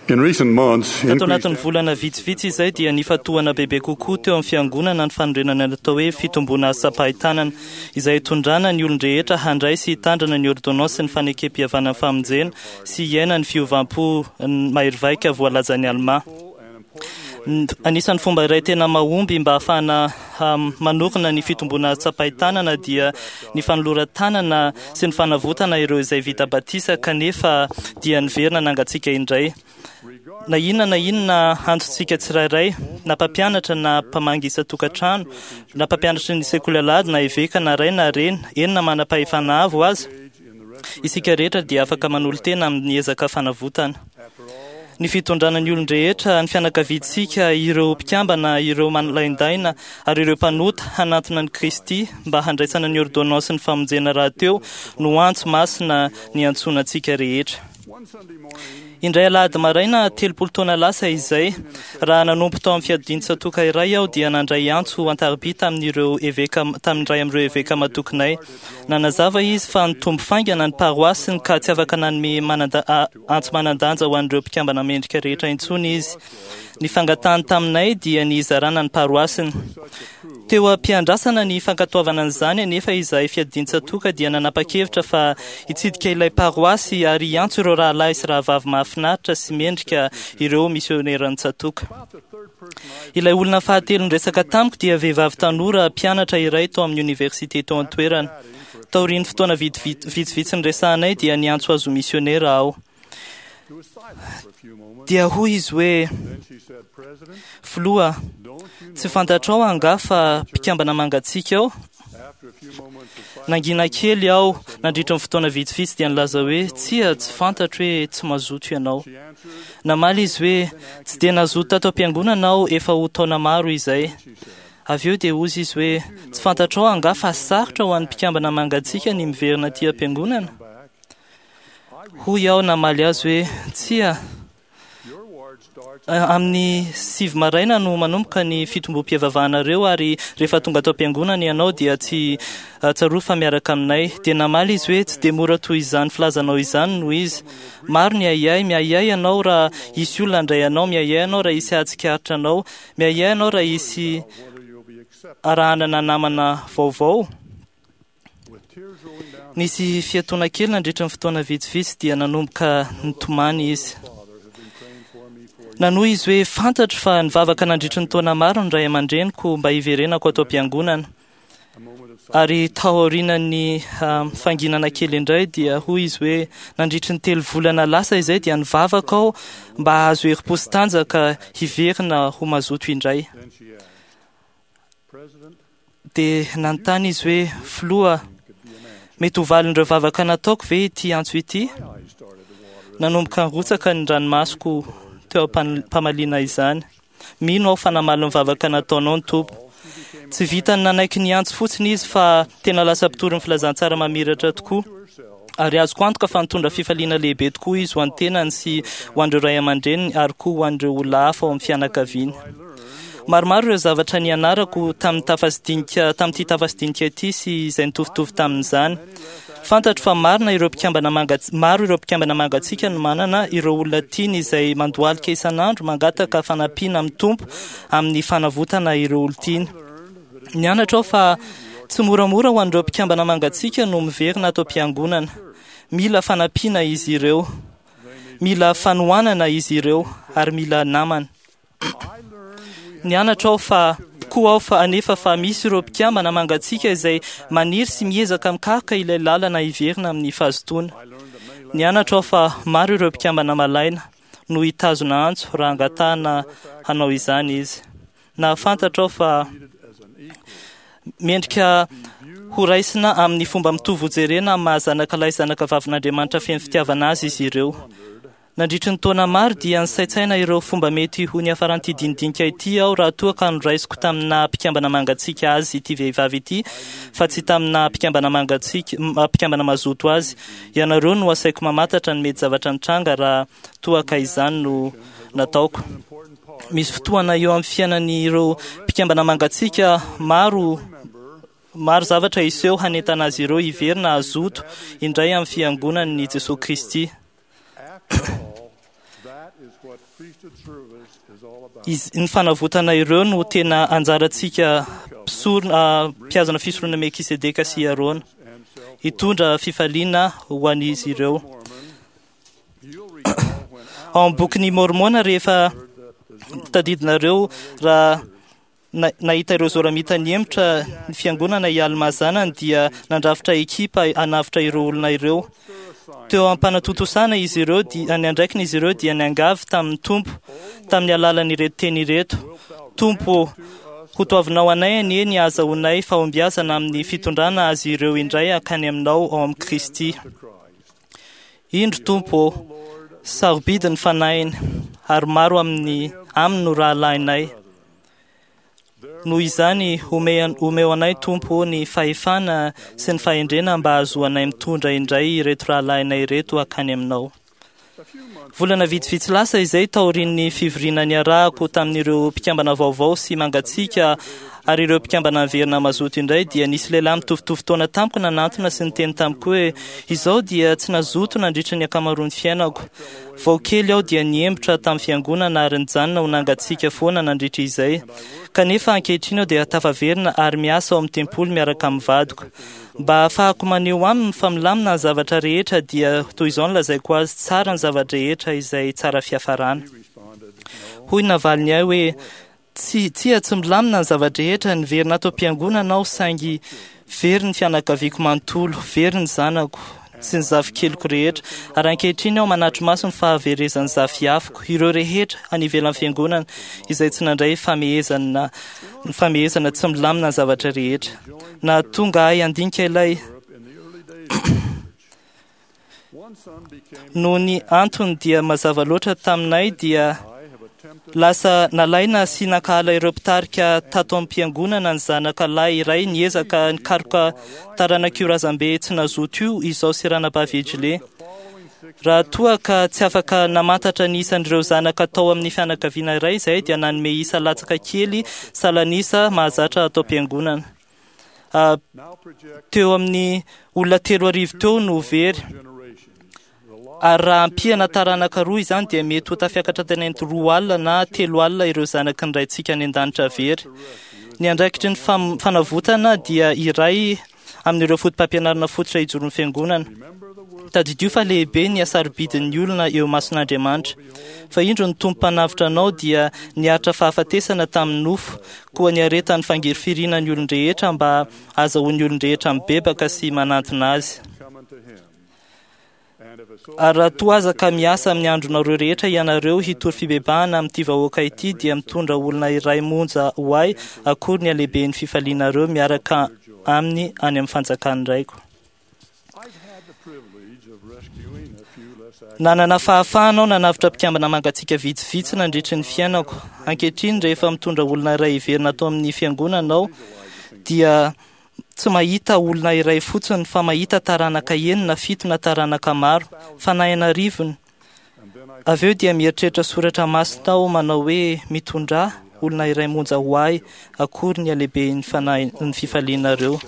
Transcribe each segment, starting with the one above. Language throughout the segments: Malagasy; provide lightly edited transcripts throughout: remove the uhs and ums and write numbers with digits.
In recent months, Tato anatin'ny increased volana vitsivitsy izay dia nifantohana bebe kokoa teo amin'ny fiangonana ny fanorenana ny atao hoe fitomboana asam-pahitanana izay hitondrana ny olon-drehetra handray sy hitandrana ny ordonnance ny fanekem-pihavanan'ny famonjena sy hiaina ny fiovam-po mahery vaika voalazan'ny Alma. Anisan'ny fomba iray tena mahomby mba hahafahana manorina ny fitomboana tsapain-tanana dia ny fanoloran-tanana sy ny fanavotana ireo izay vita batisa kanefa dia niverina nangatsiaka indray. Na inona na inona antontsika tsirairay, na mpampianatra na mpamangy isan-tokantrano, na mpampianatry ny sekoly alahady na eveka na ray na reny, eny na manam-pahefana avo aza, isika rehetra dia afaka manolo-tena amin'ny ezaka fanavotana. Ny fitondrana ny olon-drehetra, ny fianakaviantsika, ireo mpikambana, ireo manolaindaina ary ireo mpanota hanantona an'i Kristy mba handraisana ny ordonnance ny famonjena rahateo no antso masina niantsoana antsika rehetra. Indray alahady maraina 30 taona lasa izay, raha nanompo tao amin'ny fiadian-tsatoka iray aho dia nandray antso an-tariby tamin'ireo eveka tamin'ny iray amin'ireo eveka matokinay. Nanazava izy fa nitombo faingana ny paroasiny ka tsy afaka nanome antso manan-danja ho an'ireo mpikambana mendrika rehetra intsony izy. Ny fangatahany taminay dia ny hizarana ny paroasiny. Teo am-piandrasana ny fankatoavana an'izany anefa izahay fiadian-tsatoka dia nanapa-kevitra fa hitsidika ilay paroasy ary hiantso ireo rahalahy sy rahavavy mahafinaritra sy mendrika ireo misioneran'ny tsatoka. Ilay olona fahatelo niresaka tamiko dia vehivavy tanora mpianatra iray tao amin'ny oniversite tao an-toerana. Taorian'ny fotoana vitsivitsy niresahanay dia niantso azy ho misionera aho. Dia hoy izy hoe, Filoha, tsy fantatrao angaha fa mpikambana mangatsiaka aho? Nangina kely aho nandritra ny fotoana vitsivitsy dia nilaza hoe, tsia, tsy fantatro hoe tsy mazoto ianao. Namaly izy hoe, tsy dia nazoto tato am-piangonana aho efa ho taona maro izay. Avy eo dia hoy izy hoe, tsy fantatrao angaha fa sarotra ho an'ny mpikambana mangatsiaka ny miverina aty am-piangonana? Hoy aho namaly azy hoe, tsia, amin'ny 9 maraina no manomboka ny fitombom-pivavahanareo ary rehefa tonga ato am-piangonana ianao dia tsy tsarovy fa miaraka aminay. Dia namaly izy hoe, tsy dia mora toy izany filazanao izany no izy. Maro ny ahiahy, miahiahy ianao raha hisy olona handray anao, miahiahy ianao raha hisy hahatsikaritra anao, miahiahy ianao raha hisy arahanana namana vaovao. Nisy fiatoana kely nandritra ny fotoana vitsivitsy dia nanomboka nitomany izy. Nanohy izy hoe, fantatro fa nivavaka nandritra ny taona maro ny ray aman-dreniko mba hiverenako ato am-piangonana. Ary tao aorian'ny fanginana kely indray dia hoy izy hoe, nandritra ny 3 volana lasa izay dia nivavaka aho mba hahazo herim-po sy tanjaka hiverina ho mazoto indray. Dia nanontany izy hoe, filoha, mety ho valin'ireo vavaka nataoko ve ity antso ity? Nanomboka nirotsaka ny ranomasoko teo am-pamaliana izany. Mino aho fa namaly ny vavaka nataonao ny Tompo. Tsy vitany nanaiky ny antso fotsiny izy fa tena lasa mpitory ny filazantsara mamiratra tokoa. Ary azoko antoka fa nitondra fifaliana lehibe tokoa izy ho an'ny tenany sy ho an'ireo ray aman-dreniny ary koa ho an'ireo olona hafa ao amin'ny fianakaviany. Maromaro ireo zavatra nianarako tamin'ny tafasidinika tamin'ity tafasidinika ity sy izay nitovitovy tamin'izany. Fantatro fa marina ireo mpikambana maro ireo mpikambana mangatsiaka no manana ireo olona tiany izay mandohalika isan'andro mangataka fanampiana amin'ny Tompo amin'ny fanavotana ireo olon-tiany. Nianatra aho fa tsy moramora ho an'ireo mpikambana mangatsiaka no miverina ato am-piangonana. Mila fanampiana izy ireo, mila fanohanana izy ireo ary mila namana. Nianatra aho fa koa aho fa anefa fa misy ireo mpikambana mangatsiaka izay maniry sy miezaka mikaroka ilay lalana hiverina amin'ny fahazotoana. Nianatra aho fa maro ireo mpikambana malaina no hitazona antso raha angatahana hanao izany izy. Nahafantatra aho fa mendrika ho raisina amin'ny fomba mitovy hojerena amin'ny maha zanaka lahy zanaka vavin'Andriamanitra feno fitiavana azy izy ireo. Nandritry ny taona maro dia nisaintsaina ireo fomba mety ho niafaran'ity dinidinika ity aho raha toa ka noraisiko tamina mpikambana mangatsiaka azy ity vehivavy ity fa tsy tamina mpikambana mangatsiaka mpikambana mazoto azy. Ianareo no asaiko mamantatra ny mety zavatra nitranga raha toa ka izany no nataoko. Misy fotoana eo amin'ny fiainan'ireo mpikambana mangatsiaka maro maro zavatra hiseho hanentana azy ireo hiverina hazoto indray amin'ny fiangonan'i Jesoa Kristy. Ny fanavotana ireo no tena anjarantsika mpisorona, mpihazona fisoronana Melkisedeka sy Arona, hitondra fifaliana ho an'izy ireo. Ao amin'ny bokin'i Môrmôna, rehefa tadidinareo raha nahita ireo Zôramita nihemotra ny fiangonana i Almà zanany, dia nandrafitra ekipa hanavotra ireo olona ireo. Teo am-panatontosana izy ireo, ny andraikiny izy ireo dia niangavy tamin'ny Tompo tamin'ny alalan'ireto teny ireto: Tompo ô, hotoavinao anay anie ny hahazahoanay fahombiazana amin'ny fitondrana azy ireo indray hankany aminao ao amin'i Kristy. Indro Tompo ô, sarobidy ny fanahiny, ary maro amin'ny aminy no rahalahinay. Noho izany, omeo anay Tompo ô ny fahefana sy ny fahendrena mba hahazoanay mitondra indray ireto rahalahinay ireto hankany aminao. Volana vitsivitsy lasa izay, taorian'ny fivoriana niarahako tamin'ireo mpikambana vaovao sy mangatsiaka ary ireo mpikambana niverina mazoto indray, dia nisy lehilahy mitovitovy taona tamiko nanantona sy niteny tamiko hoe: Izao dia tsy nazoto nandritra ny ankamaroan'ny fiainako. Vao kely aho dia niembotra tamin'ny fiangonana ary nijanona ho nangatsiaka foana nandritra izay. Kanefa ankehitriny aho dia tafaverina ary miasa ao amin'ny tempoly miaraka amin'ny vadiko. Mba hahafahako maneho aminy fa milamina ny zavatra rehetra dia toy izao no lazaiko azy, tsara ny zava-drehetra izay tsara fiafarana. Hoy ny navaliny ahy hoe, Tsia, tsia, tsy milamina ny zava-drehetra, niverina ato am-piangonana aho saingy very ny fianakaviako manontolo, very ny zanako sy ny zafikeliko rehetra, ary ankehitriny aho manatri-maso ny fahaverezan'ny zafiafiko, ireo rehetra any ivelan'ny fiangonana izay tsy nandray famehezana, ny famehezana tsy milamina ny zavatra rehetra. Nahatonga ahy handinika ilay Noho ny antony dia mazava loatra taminay dia lasa nalaina sy nankahala ireo mpitarika tato am-piangonana ny zanaka lahy iray niezaka nikaroka taranak'io razambe tsy nazoto io izao sy ranabavy Edgley. Raha toa ka tsy afaka namantatra ny isan'ireo zanaka tao amin'ny fianakaviana iray izahay dia nanome isa latsaka kely salan'isa mahazatra ato am-piangonana. Teo amin'ny olona 3000 teo no very. Ary raha ampiana taranaka roa izany dia mety ho tafiakatra tany amin'ny 20 na 30 ireo zanaky ny Raintsika any an-danitra very. Ny andraikitry ny fanavotana dia iray amin'ireo fotopampianarana fototra hijoron'ny fiangonana. Tadidio fa lehibe ny hasarobidin'ny olona eo imason'Andriamanitra. Fa indro ny Tompo mpanavotra anao dia niaritra fahafatesana tamin'ny nofo, koa niaretan'ny fangirifiriana ny olon-drehetra mba hahazahoan'ny olon-drehetra mibebaka sy manantona azy. Ary raha toa aza ka miasa amin'ny andronareo rehetra ianareo hitory fibebahana amin'ity vahoaka ity, dia mitondra olona iray monja ho ahy, akory ny halehiben'ny fifalianareo miaraka aminy any amin'ny fanjakan'ny Raiko. Nanana fahafahana aho nanavotra mpikambana mangatsiaka vitsivitsy nandritry ny fiainako. Ankehitriny, rehefa mitondra olona iray hiverina ato amin'ny fiangonana aho, dia tsy mahita olona iray fotsiny fa mahita taranaka 6, 7 na taranaka maro, fanahy an'arivony. Avy eo dia mieritreritra soratra masina aho manao hoe: mitondrà olona iray monja ho ahy, akory ny halehiben'ny fanahy ny fifalianareo.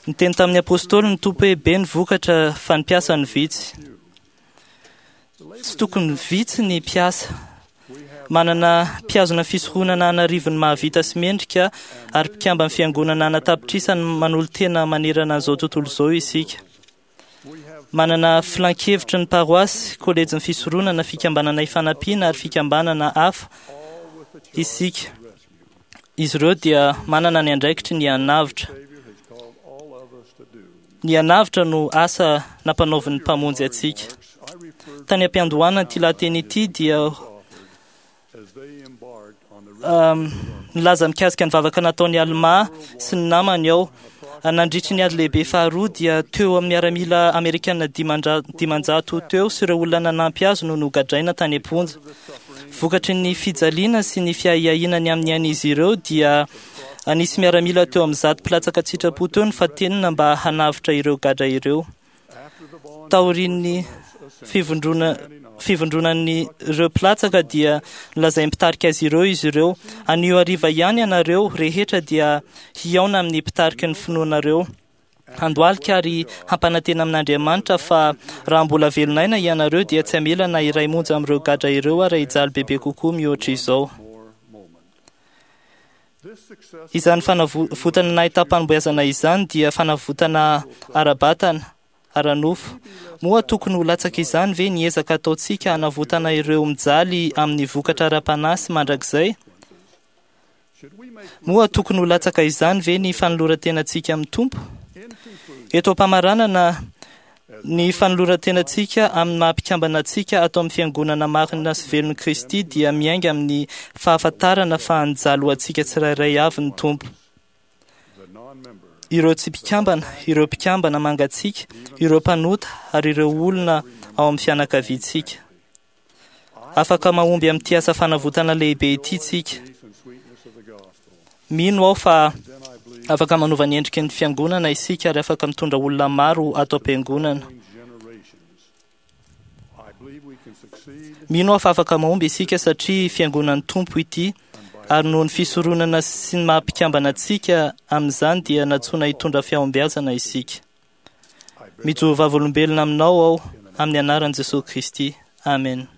Niteny tamin'ny apôstôly ny Tompo hoe: be ny vokatra fa ny mpiasa no vitsy. Tsy tokony vitsy ny mpiasa. Manana mpihazona fisoronana an'arivony mahavita sy mendrika ary mpikamban'ny fiangonana an'atapitrisany manolo-tena manerana an'izao tontolo izao isika. Manana filankevitry ny paroasy, kolejin'ny fisoronana, fikambanana ifanampiana ary fikambanana hafa isika. Izy ireo dia manana ny andraikitry ny hanavotra. Ny hanavotra no asa nampanaovin'ny Mpamonjy antsika. Tany am-piandohana ity lahateny ity dia nilaza mikasika ny vavaka nataon'i Almà sy ny namany aho. Nandritry ny ady lehibe faharoa dia teo amin'ny miaramila amerikana 500 teo sy ireo olona nanampy azy no nogadraina tany am-ponja. Vokatry ny fijaliana sy ny fiahiahiana ny amin'ny ain'izy ireo dia nisy miaramila teo amin'ny 100 mpilatsaka an-tsitrapo teo nofatenina mba hanavotra ireo gadra ireo. Taorian'ny fivondronan'ireo mpilatsaka dia nolazain'ny mpitarika azy ireo izy ireo: anio hariva ihany ianareo rehetra dia hihaona amin'ny mpitariky ny finoanareo. Handohalika ary hampanantena amin'Andriamanitra fa raha mbola velon'aina ianareo dia tsy hamela na iray monja amin'ireo gadra ireo ary hijaly bebe kokoa mihoatra izao. Izany fanavotana nahitam-pahombiazana izany dia fanavotana ara-batana, ara-nofo. Moa tokony ho latsaka izany ve ny ezaka ataontsika hanavotana ireo mijaly amin'ny vokatra ara-panahy sy mandrakizay? Moa tokony ho latsaka izany ve ny fanoloran-tenantsika amin'ny Tompo? Eto am-pamaranana, ny fanoloran-tenantsika amin'ny maha-mpikambana antsika ato amin'ny Fiangonana marina sy velon'i Kristy dia miainga amin'ny fahafantarana fa nijaly ho antsika tsirairay avy ny Tompo. Ireo tsy mpikambana, ireo mpikambana mangatsiaka, ireo mpanota ary ireo olona ao amin'ny fianakaviantsika. Afaka mahomby amin'ity asa fanavotana lehibe ity tsika. Mino aho fa afaka manova ny endriky ny fiangonana isika ary afaka mitondra olona maro ato am-piangonana. Mino aho fa afaka mahomby isika satria fiangonan'ny Tompo ity ary noho ny fisoronana sy ny maha-mpikambana antsika amin'izany dia nantsoina hitondra fahombiazana isika. Mijoro vavolombelona aminao aho amin'ny anaran'i Jesosy Kristy. Amen.